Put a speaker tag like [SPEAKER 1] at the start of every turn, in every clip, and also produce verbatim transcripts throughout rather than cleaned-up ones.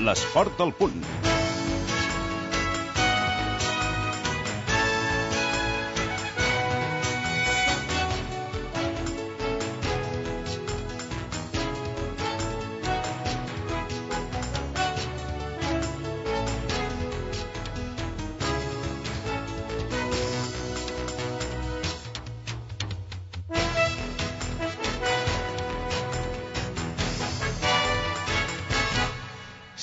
[SPEAKER 1] l'esport al punt.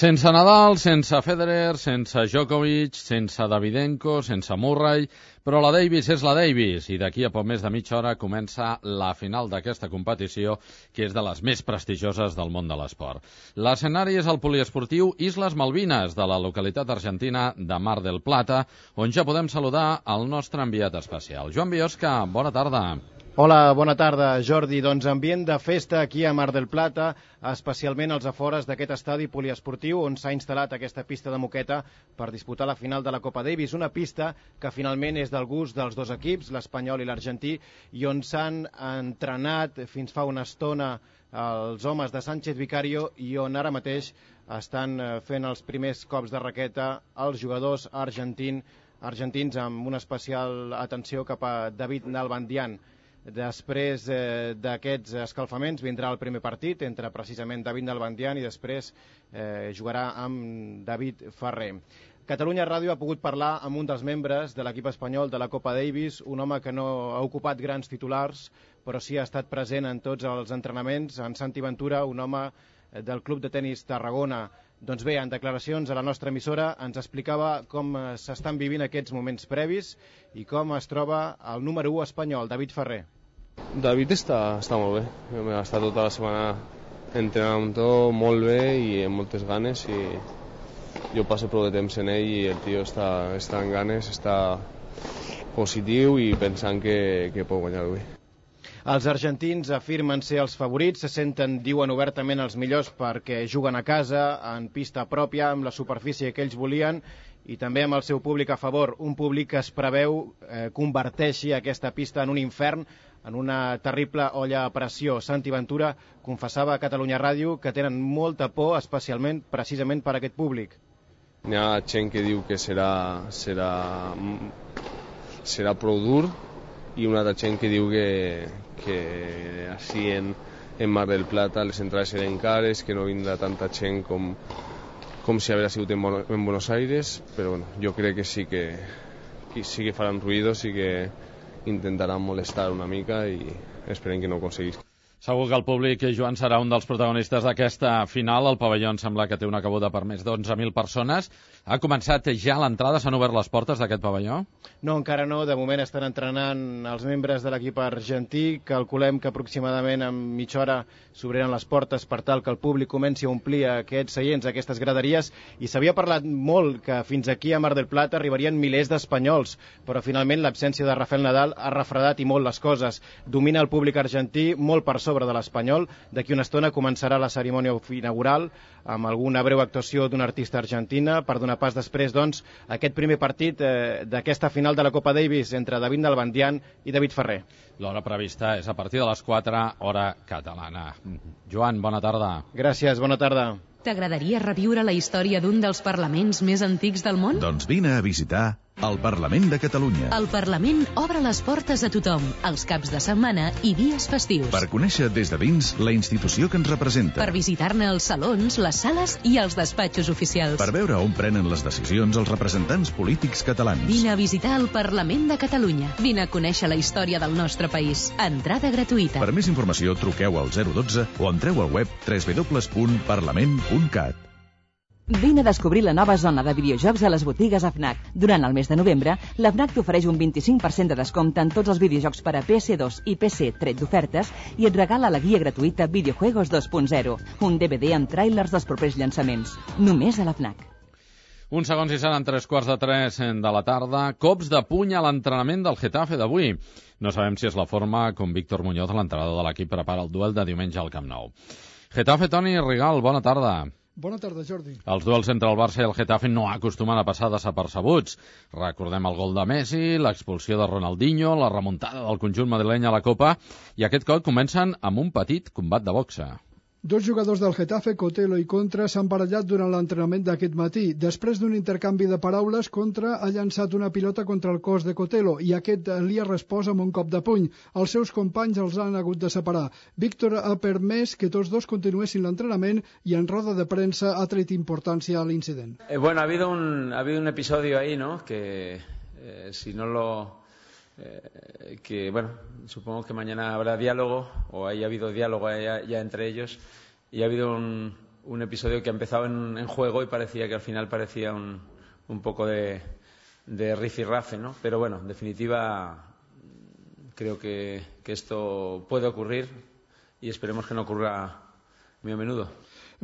[SPEAKER 2] Sense Nadal, sense Federer, sense Djokovic, sense Davydenko, sense Murray, però la Davis és la Davis i d'aquí a poc més de mitja hora comença la final d'aquesta competició, que és de les més prestigioses del món de l'esport. L'escenari és el poliesportiu Isles Malvines, de la localitat argentina de Mar del Plata, on ja podem saludar el nostre enviat especial. Joan Biosca, bona tarda.
[SPEAKER 3] Hola, bona tarda, Jordi. Doncs ambient de festa aquí a Mar del Plata, especialment als afores d'aquest estadi poliesportiu on s'ha instal·lat aquesta pista de moqueta per disputar la final de la Copa Davis, una pista que finalment és del gust dels dos equips, l'espanyol i l'argentí, i on s'han entrenat fins fa una estona els homes de Sánchez Vicario i on ara mateix estan fent els primers cops de raqueta els jugadors argentin, argentins amb una especial atenció cap a David Nalbandian. Després eh, d'aquests escalfaments vindrà el primer partit entre precisament David Nalbandian i després eh, jugarà amb David Ferrer. Catalunya Ràdio ha pogut parlar amb un dels membres de l'equip espanyol de la Copa Davis, un home que no ha ocupat grans titulars, però sí ha estat present en tots els entrenaments, en Santi Ventura, un home del Club de Tenis Tarragona. Doncs bé, en declaracions a la nostra emissora ens explicava com s'estan vivint aquests moments previs i com es troba el número u espanyol, David Ferrer.
[SPEAKER 4] David està, està molt bé. Ha estat tota la setmana entrenant amb tot molt bé i amb moltes ganes i jo passo prou de temps en ell i el tio està, està en ganes, està positiu i pensant que, que pot guanyar avui.
[SPEAKER 3] Els argentins afirmen ser els favorits, se senten, diuen obertament, els millors perquè juguen a casa, en pista pròpia, amb la superfície que ells volien i també amb el seu públic a favor, un públic que es preveu eh, converteixi aquesta pista en un infern, en una terrible olla a pressió. Santi Ventura confessava a Catalunya Ràdio que tenen molta por, especialment precisament per aquest públic.
[SPEAKER 4] Hi ha gent que diu que serà, serà, serà prou dur i una altra gent que diu que, que així en, en Mar del Plata les entrades seran cares, que no vindrà tanta gent com, com si hagués sigut en, en Buenos Aires, però bueno, jo crec que sí que, que sí que faran ruïdos i que intentaran molestar una mica i esperem que no ho aconseguís.
[SPEAKER 2] Segur que el públic, Joan, serà un dels protagonistes d'aquesta final. El pavelló em sembla que té una cabuda per més d'onze mil persones. Ha començat ja l'entrada? S'han obert les portes d'aquest pavelló?
[SPEAKER 3] No, encara no. De moment estan entrenant els membres de l'equip argentí. Calculem que aproximadament en mitja hora s'obriran les portes per tal que el públic comenci a omplir aquests seients, aquestes graderies. I s'havia parlat molt que fins aquí a Mar del Plata arribarien milers d'espanyols, però finalment l'absència de Rafael Nadal ha refredat i molt les coses. Domina el públic argentí molt per sobre de l'espanyol. D'aquí una estona començarà la cerimònia inaugural amb alguna breu actuació d'una artista argentina per donar pas després, doncs, a aquest primer partit eh, d'aquesta final de la Copa Davis entre David Nalbandian i David Ferrer.
[SPEAKER 2] L'hora prevista és a partir de les quatre, hora catalana. Joan, bona tarda.
[SPEAKER 3] Gràcies, bona tarda.
[SPEAKER 5] T'agradaria reviure la història d'un dels parlaments més antics del món?
[SPEAKER 1] Doncs vine a visitar el Parlament de Catalunya.
[SPEAKER 5] El Parlament obre les portes a tothom, els caps de setmana i dies festius.
[SPEAKER 1] Per conèixer des de dins la institució que ens representa.
[SPEAKER 5] Per visitar-ne els salons, les sales i els despatxos oficials.
[SPEAKER 1] Per veure on prenen les decisions els representants polítics catalans.
[SPEAKER 5] Vine a visitar el Parlament de Catalunya. Vine a conèixer la història del nostre país. Entrada gratuïta.
[SPEAKER 1] Per més informació truqueu al zero dotze o entreu al web w w w punt parlament punt cat.
[SPEAKER 6] Vine a descobrir la nova zona de videojocs a les botigues A F N A C. Durant el mes de novembre, la F N A C t'ofereix un vint-i-cinc per cent de descompte en tots els videojocs per a P S dos i P C tret d'ofertes i et regala la guia gratuïta Videojuegos dos punt zero, un D V D amb tràilers dels propers llançaments. Només a la F N A C.
[SPEAKER 2] Uns segons i seran tres quarts de tres de la tarda. Cops de puny a l'entrenament del Getafe d'avui. No sabem si és la forma com Víctor Muñoz, l'entrenador de l'equip, prepara el duel de diumenge al Camp Nou. Getafe, Toni Rigal, bona tarda.
[SPEAKER 7] Bona tarda, Jordi.
[SPEAKER 2] Els duels entre el Barça i el Getafe no acostumen a passar desapercebuts. Recordem el gol de Messi, l'expulsió de Ronaldinho, la remuntada del conjunt madrileny a la Copa, i aquest cop comencen amb un petit combat de boxa.
[SPEAKER 7] Dos jugadors del Getafe, Cotelo i Contra, s'han barallat durant l'entrenament d'aquest matí. Després d'un intercanvi de paraules, Contra ha llançat una pilota contra el cos de Cotelo i aquest li ha respost amb un cop de puny. Els seus companys els han hagut de separar. Víctor ha permès que tots dos continuessin l'entrenament i en roda de premsa ha tret importància a l'incident.
[SPEAKER 8] Eh, bueno, ha habido un, ha habido un episodio ahí, ¿no? Que eh, si no lo... Eh, que bueno, supongo que mañana habrá diálogo o haya habido diálogo ya, ya entre ellos y ha habido un, un episodio que ha empezado en, en juego y parecía que al final parecía un, un poco de, de rifirrafe, ¿no? Pero bueno, en definitiva creo que, que esto puede ocurrir y esperemos que no ocurra muy a menudo.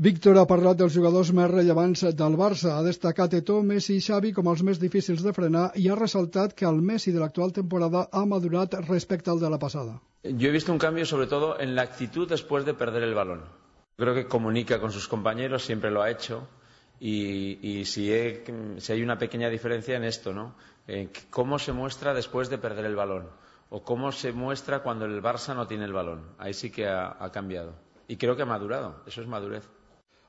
[SPEAKER 7] Víctor ha parlat dels jugadors més rellevants del Barça. Ha destacat Eto'o, Messi i Xavi com els més difícils de frenar i ha resaltat que el Messi de l'actual temporada ha madurat respecte al de la passada.
[SPEAKER 8] Yo he visto un cambio sobre todo en la actitud después de perder el balón. Creo que comunica con sus compañeros, siempre lo ha hecho y, y si, he, si hay una pequeña diferencia en esto, ¿no? En cómo se muestra después de perder el balón o cómo se muestra cuando el Barça no tiene el balón. Ahí sí que ha, ha cambiado y creo que ha madurado, eso es madurez.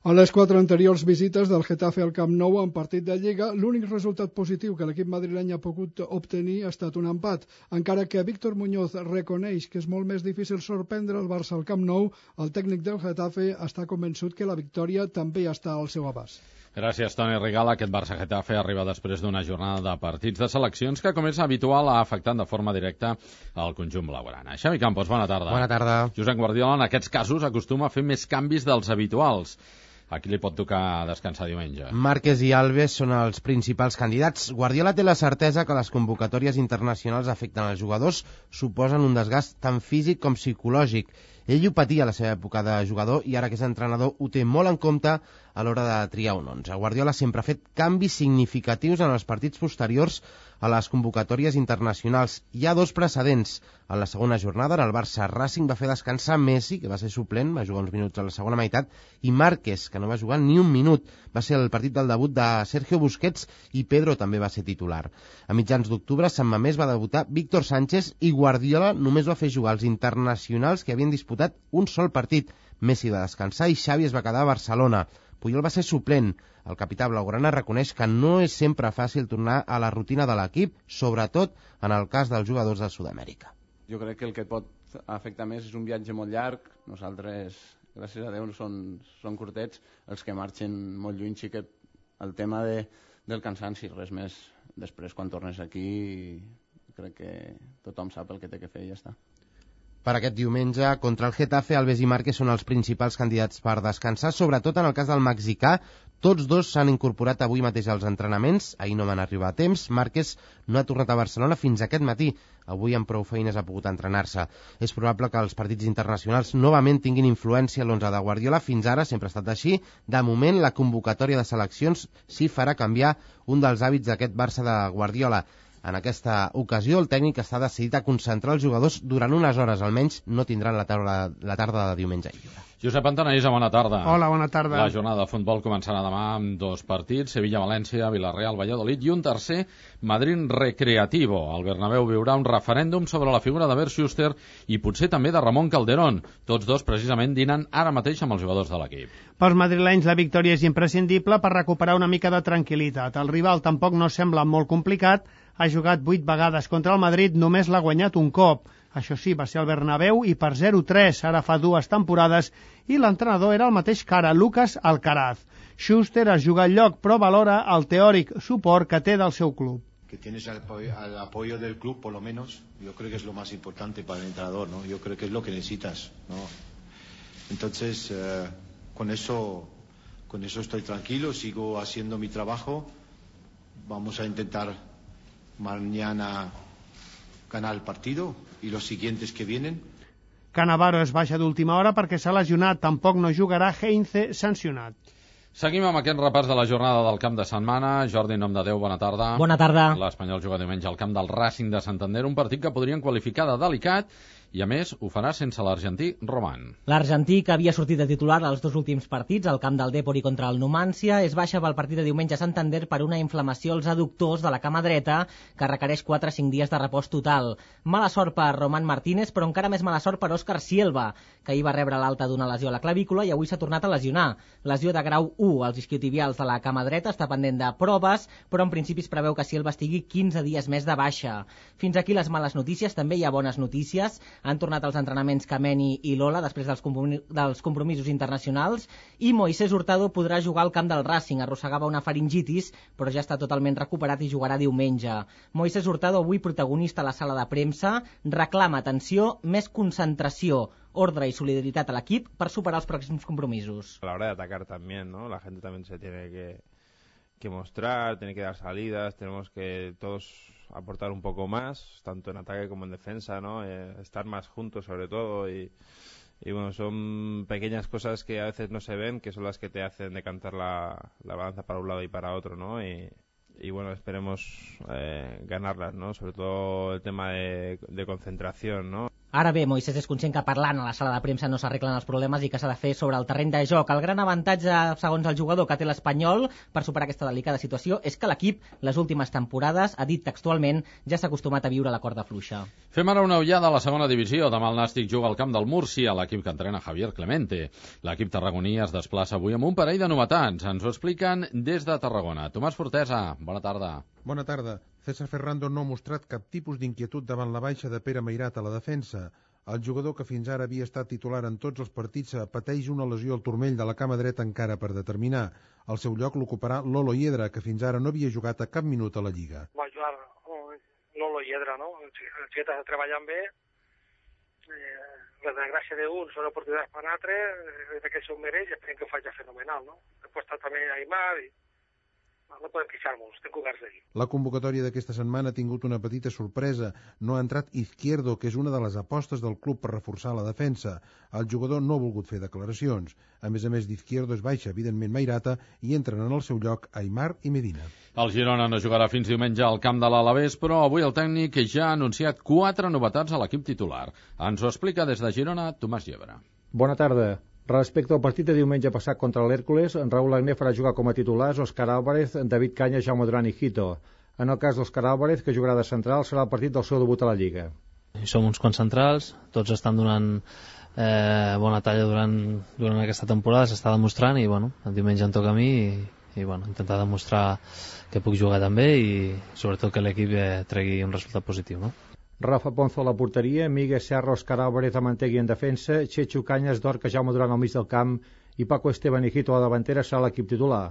[SPEAKER 7] A les quatre anteriors visites del Getafe al Camp Nou en partit de Lliga, l'únic resultat positiu que l'equip madrileny ha pogut obtenir ha estat un empat. Encara que Víctor Muñoz reconeix que és molt més difícil sorprendre el Barça al Camp Nou, el tècnic del Getafe està convençut que la victòria també està al seu abast.
[SPEAKER 2] Gràcies, Toni Rigala. Aquest Barça-Getafe arriba després d'una jornada de partits de seleccions que, com és habitual, ha afectat de forma directa el conjunt blaugrana. Xavi Campos, bona tarda.
[SPEAKER 9] Bona tarda.
[SPEAKER 2] Josep Guardiola, en aquests casos, acostuma a fer més canvis dels habituals. A qui li pot tocar descansar diumenge?
[SPEAKER 9] Márquez i Alves són els principals candidats. Guardiola té la certesa que les convocatòries internacionals afecten els jugadors, suposen un desgast tant físic com psicològic. Ell ho patia a la seva època de jugador i ara que és entrenador ho té molt en compte a l'hora de triar un onze. Guardiola sempre ha fet canvis significatius en els partits posteriors a les convocatòries internacionals. Hi ha dos precedents. En la segona jornada, en el Barça Racing va fer descansar Messi, que va ser suplent, va jugar uns minuts a la segona meitat, i Márquez, que no va jugar ni un minut. Va ser el partit del debut de Sergio Busquets i Pedro també va ser titular. A mitjans d'octubre, Sant Mamés va debutar Víctor Sánchez i Guardiola només va fer jugar els internacionals que havien disputat un sol partit. Messi va descansar i Xavi es va quedar a Barcelona. Puyol va ser suplent. El capità blaugrana reconeix que no és sempre fàcil tornar a la rutina de l'equip, sobretot en el cas dels jugadors de Sud-amèrica.
[SPEAKER 10] Jo crec que el que et pot afectar més és un viatge molt llarg. Nosaltres, gràcies a Déu, són, són curtets. Els que marxen molt lluny sí que el tema de, del cansanci, res més. Després, quan tornes aquí, crec que tothom sap el que té que fer i ja està.
[SPEAKER 9] Per aquest diumenge, contra el Getafe, Alves i Márquez són els principals candidats per descansar, sobretot en el cas del mexicà. Tots dos s'han incorporat avui mateix als entrenaments, ahir no van arribar a temps. Márquez no ha tornat a Barcelona fins aquest matí. Avui amb prou feines ha pogut entrenar-se. És probable que els partits internacionals novament tinguin influència a l'onze de Guardiola. Fins ara sempre ha estat així. De moment, la convocatòria de seleccions sí farà canviar un dels hàbits d'aquest Barça de Guardiola. En aquesta ocasió, el tècnic està decidit a concentrar els jugadors durant unes hores, almenys no tindran la tarda, la tarda de diumenge lliure.
[SPEAKER 2] Josep Antanaïsa, bona tarda.
[SPEAKER 11] Hola, bona tarda.
[SPEAKER 2] La jornada de futbol començarà demà amb dos partits, Sevilla-València, Villarreal, Valladolid, i un tercer, Madrid Recreativo. El Bernabéu viurà un referèndum sobre la figura de Bert Schuster i potser també de Ramon Calderón. Tots dos, precisament, dinen ara mateix amb els jugadors de l'equip.
[SPEAKER 11] Pels madrilenys, la victòria és imprescindible per recuperar una mica de tranquil·litat. El rival tampoc no sembla molt complicat. Ha jugat vuit vegades contra el Madrid, només l'ha guanyat un cop. Això sí, va ser al Bernabéu i per zero tres, ara fa dues temporades, i l'entrenador era el mateix que ara, Lucas Alcaraz. Schuster es juga al lloc, però valora el teòric suport que té del seu club.
[SPEAKER 12] Que tienes el apoyo, el apoyo del club, por lo menos, yo creo que es lo más importante para el entrenador, ¿no? Yo creo que es lo que necesitas, ¿no? Entonces, eh, con eso, con eso estoy tranquilo, sigo haciendo mi trabajo, vamos a intentar mañana ganar el partido y los siguientes que vienen.
[SPEAKER 11] Cannavaro es baixa d'última hora perquè s'ha lesionat, tampoc no jugarà Heinze, sancionat.
[SPEAKER 2] Seguim amb aquest repàs de la jornada del camp de setmana. Jordi, en nom de Déu, bona tarda.
[SPEAKER 13] Bona tarda.
[SPEAKER 2] L'Espanyol juga diumenge al camp del Racing de Santander, un partit que podrien qualificar de delicat i a més ho farà sense l'argentí Roman.
[SPEAKER 13] L'argentí, que havia sortit de titular als dos últims partits, al camp del Dépori contra el Numancia, és baixa pel partit de diumenge a Santander per una inflamació als adductors de la cama dreta que requereix quatre a cinc dies de repòs total. Mala sort per Román Martínez, però encara més mala sort per Òscar Silva, que ahir va rebre l'alta d'una lesió a la clavícula i avui s'ha tornat a lesionar. Lesió de grau u als isquiotibials de la cama dreta, està pendent de proves, però en principi es preveu que Silva estigui quinze dies més de baixa. Fins aquí les males notícies, també hi ha bones notícies. Han tornat als entrenaments Kameni i Lola després dels, comprom dels compromisos internacionals i Moisés Hurtado podrà jugar al camp del Racing. Arrossegava una faringitis, però ja està totalment recuperat i jugarà diumenge. Moisés Hurtado, avui protagonista a la sala de premsa, reclama, atenció, més concentració, ordre y solidaridad al equipo para superar los próximos compromisos.
[SPEAKER 14] A la hora de atacar también, ¿no? La gente también se tiene que, que mostrar, tiene que dar salidas, tenemos que todos aportar un poco más, tanto en ataque como en defensa, ¿no? Eh, estar más juntos sobre todo y, y bueno, son pequeñas cosas que a veces no se ven, que son las que te hacen decantar la, la balanza para un lado y para otro, ¿no? Y, y bueno, esperemos eh, ganarlas, ¿no? Sobre todo el tema de, de concentración, ¿no?
[SPEAKER 13] Ara bé, Moisés és conscient que parlant a la sala de premsa no s'arreglen els problemes i que s'ha de fer sobre el terreny de joc. El gran avantatge, segons el jugador, que té l'Espanyol per superar aquesta delicada situació és que l'equip, les últimes temporades, ha dit textualment, ja s'ha acostumat a viure la corda fluixa.
[SPEAKER 2] Fem ara una ullada a la segona divisió. Demà el Nàstic juga al camp del Múrcia, l'equip que entrena Javier Clemente. L'equip tarragoní es desplaça avui amb un parell de novetats. Ens ho expliquen des de Tarragona. Tomàs Fortesa, bona tarda.
[SPEAKER 15] Bona tarda. César Ferrando no ha mostrat cap tipus d'inquietud davant la baixa de Pere Meirat a la defensa. El jugador que fins ara havia estat titular en tots els partits pateix una lesió al turmell de la cama dreta encara per determinar. Al seu lloc l'ocuparà Lolo Hiedra, que fins ara no havia jugat a cap minut a la Lliga.
[SPEAKER 16] Va jugar Lolo Hiedra, no? El xiquet està treballant bé. Eh, la desgràcia d'un són oportunitats per l'altre, eh, que s'ho mereix i esperem que ho faci fenomenal, no? Després està també Aimar i no podem queixar-nos, estem coberts d'ahir.
[SPEAKER 15] La convocatòria d'aquesta setmana ha tingut una petita sorpresa. No ha entrat Izquierdo, que és una de les apostes del club per reforçar la defensa. El jugador no ha volgut fer declaracions. A més a més d'Izquierdo es baixa, evidentment, Mairata, i entren en el seu lloc Aimar i Medina.
[SPEAKER 2] El Girona no jugarà fins diumenge al camp de l'Alavés, però avui el tècnic ja ha anunciat quatre novetats a l'equip titular. Ens ho explica des de Girona Tomàs Llebre.
[SPEAKER 17] Bona tarda. Respecte al partit de diumenge passat contra l'Hèrcules, en Raúl Agné farà jugar com a titulars Òscar Álvarez, David Caña, Jaume Duran i Hito. En el cas d'Òscar Álvarez, que jugarà de central, serà el partit del seu debut a la Lliga.
[SPEAKER 18] Som uns quants centrals, tots estan donant eh, bona talla durant, durant aquesta temporada, s'està demostrant i bueno, el diumenge em toca a mi i, i bueno, intentar demostrar que puc jugar també i sobretot que l'equip eh, tregui un resultat positiu, no?
[SPEAKER 17] Rafa Ponzo a la porteria, Miguel Serra, Òscar Álvarez a Mantegui en defensa, Chechu Cañas, Dorca, Jaume Duran al mig del camp i Paco Esteban i Hito a la davantera serà l'equip titular.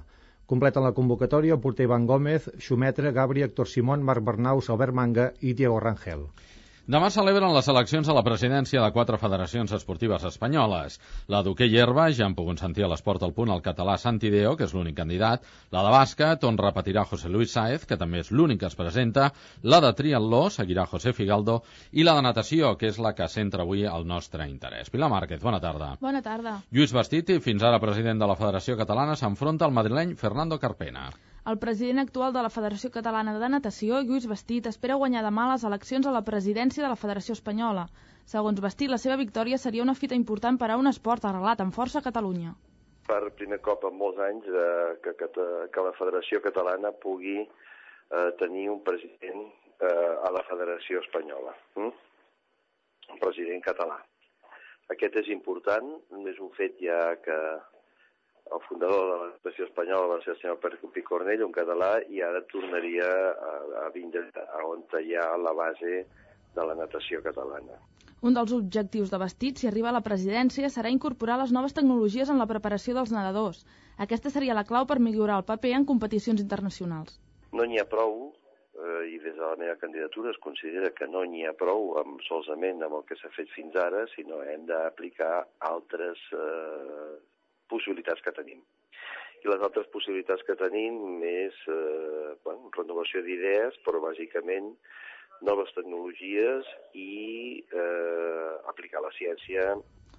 [SPEAKER 17] Completen la convocatòria el porter Ivan Gómez, Xumetre, Gabri, Héctor Simón, Marc Bernaus, Albert Manga i Diego Rangel.
[SPEAKER 2] Demà celebren les eleccions a la presidència de quatre federacions esportives espanyoles. La d'hoquei herba, ja han pogut sentir a l'Esport al Punt el català Santi Deo, que és l'únic candidat, la de bàsquet, on repetirà José Luis Sáez, que també és l'únic que es presenta, la de triatló, seguirà José Figaldo, i la de natació, que és la que centra avui el nostre interès. Pilar Márquez, bona tarda.
[SPEAKER 19] Bona tarda.
[SPEAKER 2] Lluís Bastiti, fins ara president de la Federació Catalana, s'enfronta al madrileny Fernando Carpena.
[SPEAKER 19] El president actual de la Federació Catalana de Natació, Lluís Bastit, espera guanyar demà les eleccions a la presidència de la Federació Espanyola. Segons Bastit, la seva victòria seria una fita important per a un esport arrelat amb força a Catalunya.
[SPEAKER 20] Per primer cop en molts anys eh, que, que, que la Federació Catalana pugui eh, tenir un president eh, a la Federació Espanyola. Mm? Un president català. Aquest és important, és un fet ja que el fundador de la Federació Espanyola va ser el senyor Picornell, un català, i ara tornaria a, a vindre a on hi ha la base de la natació catalana.
[SPEAKER 19] Un dels objectius de Bastit, si arriba a la presidència, serà incorporar les noves tecnologies en la preparació dels nedadors. Aquesta seria la clau per millorar el paper en competicions internacionals.
[SPEAKER 20] No n'hi ha prou, eh, i des de la meva candidatura es considera que no n'hi ha prou amb, solament amb el que s'ha fet fins ara, sinó hem d'aplicar altres eh, possibilitats que tenim. I les altres possibilitats que tenim és eh, bueno, renovació d'idees, però bàsicament noves tecnologies i eh, aplicar la ciència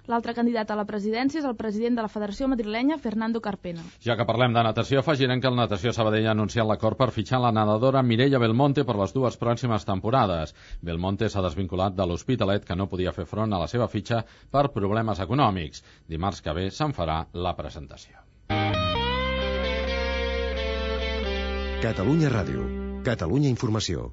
[SPEAKER 19] L'altre candidat a la presidència és el president de la Federació Madrilenya, Fernando Carpena.
[SPEAKER 2] Ja que parlem de natació, afegirem que el Natació Sabadell ha anunciat l'acord per fitxar la nedadora Mireia Belmonte per les dues pròximes temporades. Belmonte s'ha desvinculat de l'Hospitalet, que no podia fer front a la seva fitxa per problemes econòmics. Dimarts que ve se'n farà la presentació.
[SPEAKER 21] Catalunya Ràdio. Catalunya Informació.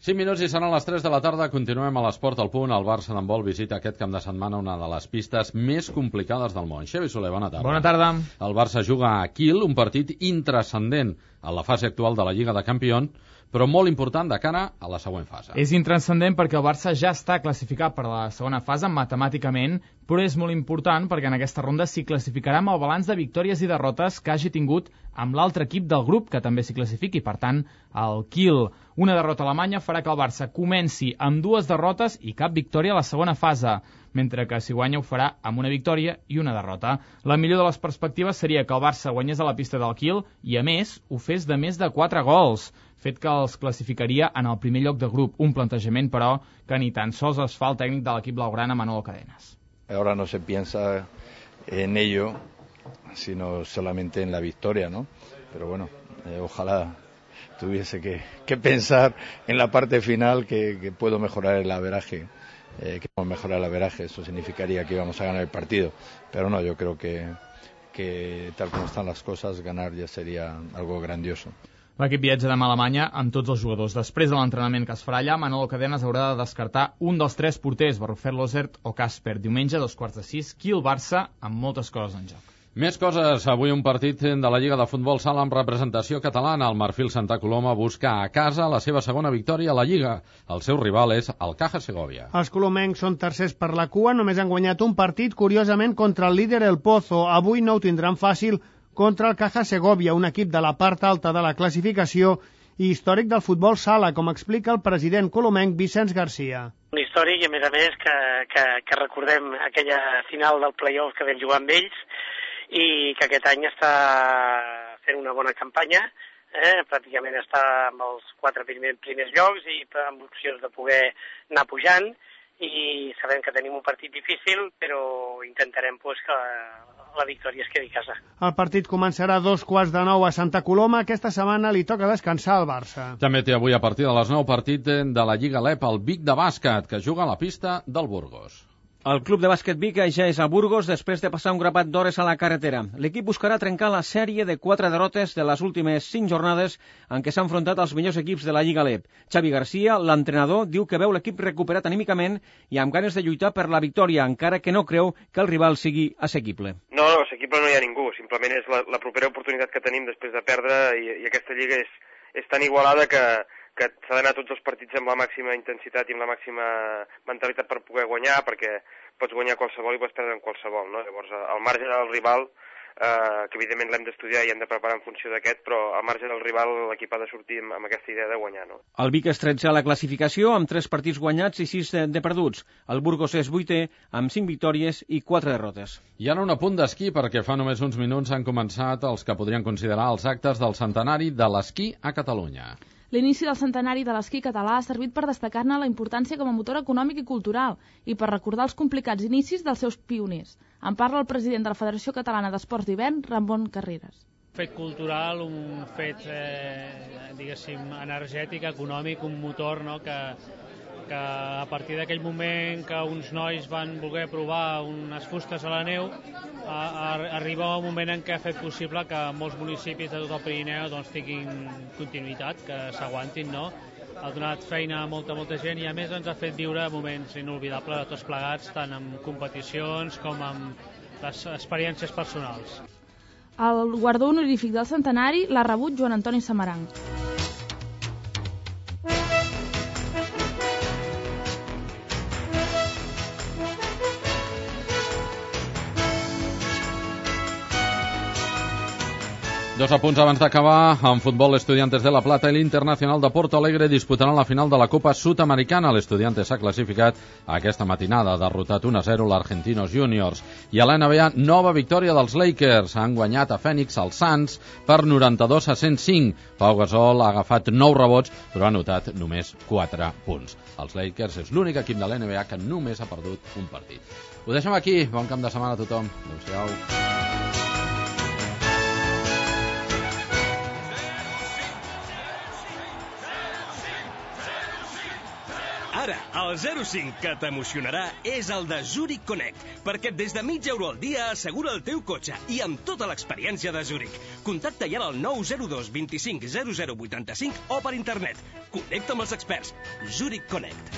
[SPEAKER 2] cinc minuts i seran les tres de la tarda. Continuem a l'Esport al Punt. El Barça d'handbol visita aquest cap de setmana una de les pistes més complicades del món. Xavi Soler, bona tarda.
[SPEAKER 22] Bona tarda.
[SPEAKER 2] El Barça juga a Kiel, un partit intranscendent en la fase actual de la Lliga de Campions, però molt important de cara a la següent fase.
[SPEAKER 22] És intranscendent perquè el Barça ja està classificat per a la segona fase matemàticament, però és molt important perquè en aquesta ronda s'hi classificarà amb el balanç de victòries i derrotes que hagi tingut amb l'altre equip del grup, que també s'hi classifiqui, per tant, el Kiel. Una derrota alemanya farà que el Barça comenci amb dues derrotes i cap victòria a la segona fase, mentre que si guanya ho farà amb una victòria i una derrota. La millor de les perspectives seria que el Barça guanyés a la pista del Kiel i, a més, ho fes de més de quatre gols, fet que els classificaria en el primer lloc de grup. Un plantejament, però, que ni tan sols es fa el tècnic de l'equip blaugrana, Manolo Cadenas.
[SPEAKER 23] Ahora no se piensa en ello, sino solamente en la victoria, ¿no? Pero bueno, eh, ojalá tuviese que, que pensar en la parte final que, que puedo mejorar el averaje. Eh, que vamos a mejorar el averaje, eso significaría que íbamos a ganar el partido. Pero no, yo creo que, que tal como están las cosas, ganar ya sería algo grandioso.
[SPEAKER 22] L'equip viatja demà a Alemanya amb tots els jugadors. Després de l'entrenament que es farà allà, Manolo Cadenas haurà de descartar un dels tres porters, Barrufet, Lozert o Casper. Diumenge, a dos quarts de sis, Kiel-Barça, amb moltes coses en joc.
[SPEAKER 2] Més coses. Avui un partit de la Lliga de Futbol Sala amb representació catalana. El Marfil Santa Coloma busca a casa la seva segona victòria a la Lliga. El seu rival és el Caja Segovia.
[SPEAKER 11] Els colomencs són tercers per la cua, només han guanyat un partit, curiosament, contra el líder El Pozo. Avui no ho tindran fàcil contra el Caja Segovia, un equip de la part alta de la classificació i històric del futbol sala, com explica el president colomenc Vicenç Garcia.
[SPEAKER 24] Un històric i, a més a més, que, que, que recordem aquella final del play-off que vam jugar amb ells i que aquest any està fent una bona campanya, eh? Pràcticament està amb els quatre primers, primers llocs i amb opcions de poder anar pujant, i sabem que tenim un partit difícil, però intentarem pues, que la victòria es quedi a casa.
[SPEAKER 11] El partit començarà a dos quarts de nou a Santa Coloma. Aquesta setmana li toca descansar al Barça.
[SPEAKER 2] També té avui a partir de les nou partit de la Lliga L E P, el Vic de bàsquet, que juga a la pista del Burgos.
[SPEAKER 25] El club de bàsquet Vic ja és a Burgos després de passar un grapat d'hores a la carretera. L'equip buscarà trencar la sèrie de quatre derrotes de les últimes cinc jornades en què s'ha enfrontat als millors equips de la Lliga L E P. Xavi Garcia, l'entrenador, diu que veu l'equip recuperat anímicament i amb ganes de lluitar per la victòria, encara que no creu que el rival sigui assequible.
[SPEAKER 26] No, no, assequible no hi ha ningú. Simplement és la, la propera oportunitat que tenim després de perdre i, i aquesta lliga és, és tan igualada que que s'ha d'anar tots els partits amb la màxima intensitat i amb la màxima mentalitat per poder guanyar, perquè pots guanyar qualsevol i pots perdre en qualsevol, no? Llavors, al marge del rival, eh, que evidentment l'hem d'estudiar i hem de preparar en funció d'aquest, però al marge del rival l'equip ha de sortir amb, amb aquesta idea de guanyar, no?
[SPEAKER 25] El Vic és tretzè a la classificació, amb tres partits guanyats i sis de, de perduts. El Burgos és vuitè, amb cinc victòries i quatre derrotes.
[SPEAKER 2] I ara un apunt d'esquí, perquè fa només uns minuts han començat els que podrien considerar els actes del centenari de l'esquí a Catalunya.
[SPEAKER 19] L'inici del centenari de l'esquí català ha servit per destacar-ne la importància com a motor econòmic i cultural i per recordar els complicats inicis dels seus pioners. En parla el president de la Federació Catalana d'Esports d'Hivern, Ramon Carreras.
[SPEAKER 27] Un fet cultural, un fet, eh, diguéssim, energètic, econòmic, un motor, no?, que, que a partir d'aquell moment que uns nois van voler provar unes fustes a la neu, a, a, arriba un moment en què ha fet possible que molts municipis de tot el Pirineu doncs, tinguin continuïtat, que s'aguantin, no? Ha donat feina a molta, molta gent i a més ens ha fet viure moments inolvidables de tots plegats, tant en competicions com en les experiències personals.
[SPEAKER 19] El guardó honorífic del centenari l'ha rebut Joan Antoni Samaranc.
[SPEAKER 2] Dos apunts abans d'acabar. En futbol, l'Estudiantes de La Plata i l'Internacional de Porto Alegre disputaran la final de la Copa Sudamericana. L'Estudiantes s'ha classificat aquesta matinada, ha derrotat un a zero l'Argentinos Juniors. I a l'N B A, nova victòria dels Lakers. Han guanyat a Phoenix els Suns per noranta-dos a cent cinc. Pau Gasol ha agafat nou rebots, però ha anotat només quatre punts. Els Lakers és l'únic equip de l'N B A que només ha perdut un partit. Ho deixem aquí. Bon camp de setmana a tothom. Adéu-siau.
[SPEAKER 1] Ara, el zero cinc que t'emocionarà és el de Zurich Connect, perquè des de mig euro al dia assegura el teu cotxe i amb tota l'experiència de Zurich. Contacta ja al nou zero dos vint cinc zero zero vuitanta-cinc o per internet. Connecta amb els experts. Zurich Connect.